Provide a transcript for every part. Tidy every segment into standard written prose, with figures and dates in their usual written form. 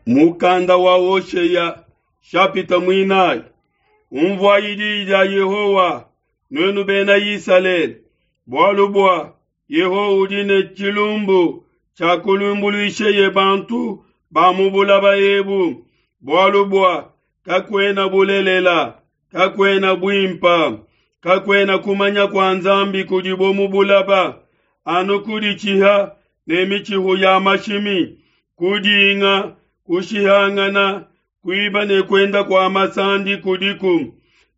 Mukanda wa Hoshea shapita muinayi. Umvuayi diyi dia Yehowa, nuenu bena Isalele, bualu bua Yehowa udi ne tshilumbu tshia kulumbuluisheye bantu ba mu bulaba ebu, bualu bua kakuena bulelela, kakuena buimpa, kakuena kumanya kua Nzambi kudibo mu bulaba, anu kuditshiha ne mitshihu ya mashimi, kudinga, kushihangana, kuiba ne kuenda kua masandi kudiku.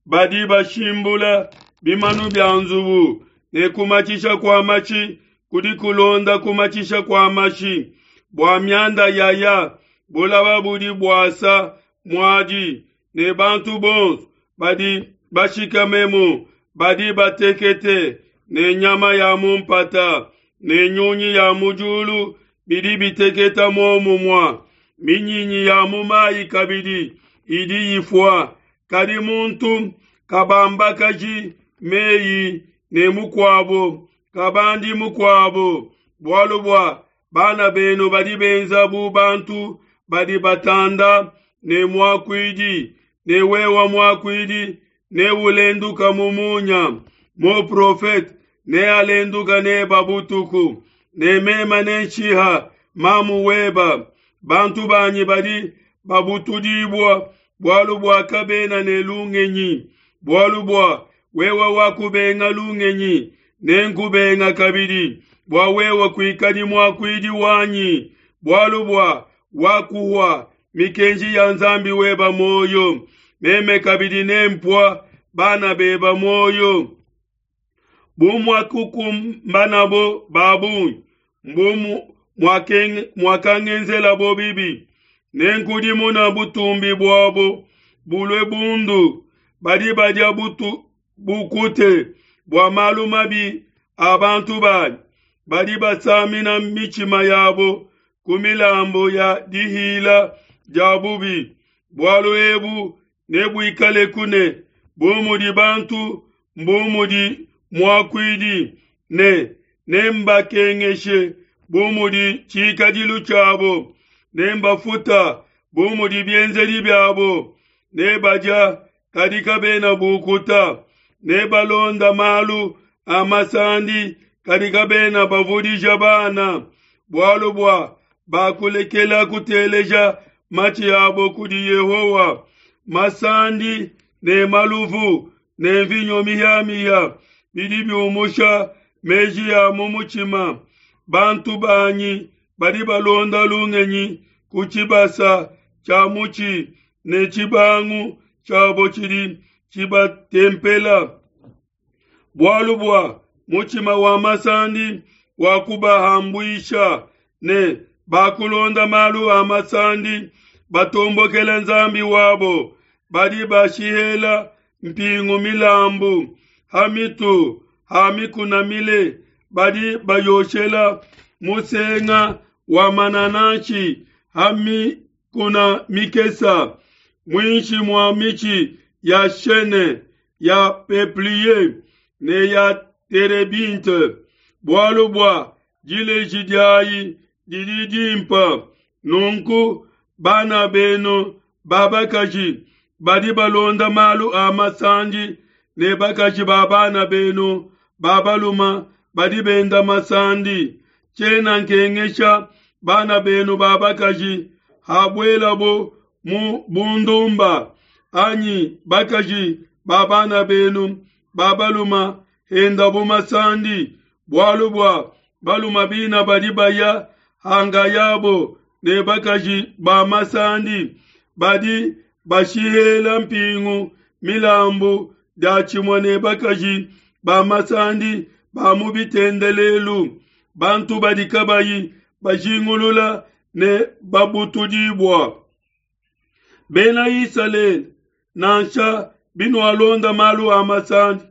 Badi bashimbula bimanu bia nzubu ne kumatshisha kua matshi kudi kulonda kumatshisha kua mashi. Bua mianda yaya, bulaba budi buasa muadi, ne bantu bonso badi bashikamemu badi batekete, ne nyama ya mu mpata ne nyunyi ya mu diulu bidi biteketa muomumue. Minyinyi ya mu mayi kabidi idi ifua, kadi muntu kabambakaji meyi ne mukuabo, kabandi mukuabo, bualu bua bana benu badi benza bu bantu badi batanda ne muakuidi, ne wewa muakuidi neulenduka mu munya, muprofete nealenduka neba butuku, ne mema nenshiha mamu weba. Bantu banyi badi babutudibua bualu bua kabena ne lungenyi, bualu bua wewe wakubenga lungenyi, nenkubenga kabidi bua wewe kuikadi muakuidi wanyi, bualu bua wakuhua mikenji ya Nzambi weba muoyo, meme kabidi nempua bana beba muoyo. Bu muakukumbanabo ba bungi, mbu muakangenzelabo bibi, nenkudimuna butumbi buabo bulue bundu. Badi badia butu bukute bua malu mabi a bantu banyi, badi basamina mitshima yabo ku milambu ya dihila dia bubi. Bualu ebu nebuikaleku ne bu mudi bantu mbu mudi muakuidi, ne nembakengeshe bu mudi tshikadilu tshiabo, nembafuta bu mudi bienzedi biabo. Nebadia kadi kabena bukuta, nebalonda malu a masandi kadi kabena bavudija bana, bualu bua bakulekela kuteleja matshi abo kudi Yehowa. Masandi ne maluvu ne mvinyo mihiamihia bidi biumusha meji a mu mutshima. Bantu banyi badi balonda lungenyi ku tshibasa tshia mutshi, ne tshibangu tshiabo tshidi tshibatempela. Bualu bua mutshima wa masandi wakubahambuisha, ne bakulonda malu a masandi, batombokela Nzambi wabo. Badi bashihela mpingu milambu ha mitu ha mikuna mile, badi bayoshela musenga wa manananshi ha mikuna mikesa, muinshi mua mitshi ya chene, ya peuplier ne ya terebinthe, bualu bua dileji diayi didi dimpa. Nunku bana benu ba bakaji badi balonda malu a masandi, ne bakaji ba bana benu ba baluma badi benda masandi. Tshiena nkengesha bana benu ba bakaji habuelabo mu bundumba, anyi bakaji ba bana benu ba baluma hendabo masandi, bualu bua baluma bina badi baya hangayabo ne bakaji ba masandi, badi bashihela mpingu milambu diatshimue ne bakaji ba masandi ba mu bitendelelu, bantu badi kabayi bajingulula ne babutudibua. Bena Isalele, nansha binualonda malu a masandi,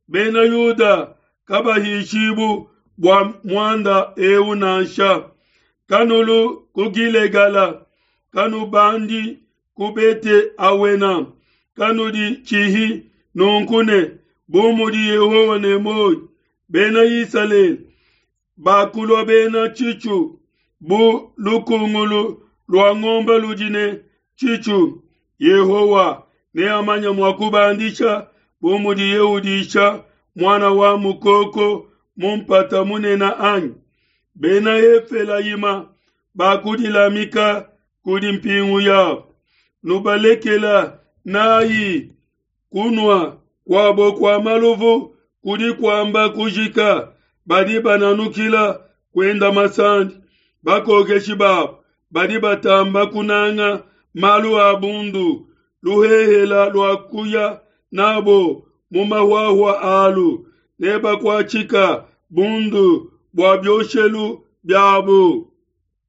bena Yuda kabahishibu bua muanda eu nansha. Kanulu ku Gilegala, kanubandi ku Bete Awena, kanuditshihi nunku ne, bu mudi Yehowa ne muoyo, bena Isalele bakulua bena tshitshu bu lukungulu. lua ngombe ludi ne tshitshu. Yehowa neamanye mua kubandisha bu mudiye udisha muana wa mukoko mu mpata munene anyi? Bena Efelayima bakudilamika kudi mpingu yabo, nubalekela nayi kunua kuabo kua maluvu kudi kuamba kujika. Badi bananukila kuenda masandi, bakokeshi babo badi batamba kunanga malu a bundu, luhehela lua kuya nabo mu mahuahua alu, nebakuatshika bundu bua bioshelu biabo.